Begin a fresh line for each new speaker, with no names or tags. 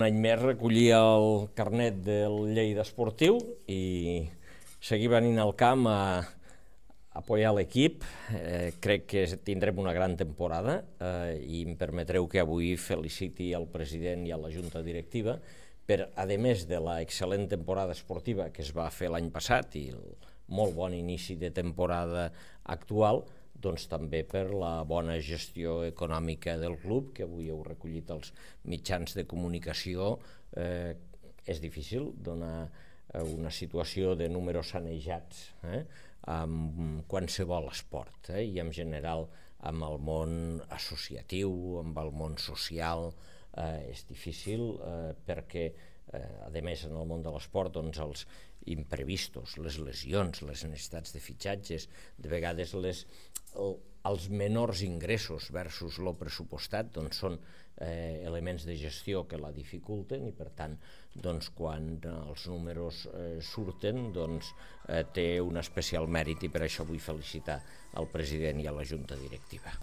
Un any més recollia el carnet del Lleida Esportiu i seguir venint al camp a apoyar l'equip. Crec que tindrem una gran temporada i em permetreu que avui feliciti al president i a la junta directiva per, a més de l'excel·lent temporada esportiva que es va fer l'any passat i el molt bon inici de temporada actual, doncs també per la bona gestió econòmica del club, que avui heu recollit els mitjans de comunicació. És difícil donar una situació de números sanejats amb qualsevol esport i en general amb el món associatiu, amb el món social. És difícil perquè, a més, en el món de l'esport, doncs els imprevistos, les lesions, les necessitats de fitxatges, de vegades els menors ingressos versus lo pressupostat són elements de gestió que la dificulten i, per tant, quan els números surten, té un especial mèrit i per això vull felicitar al president i a la junta directiva.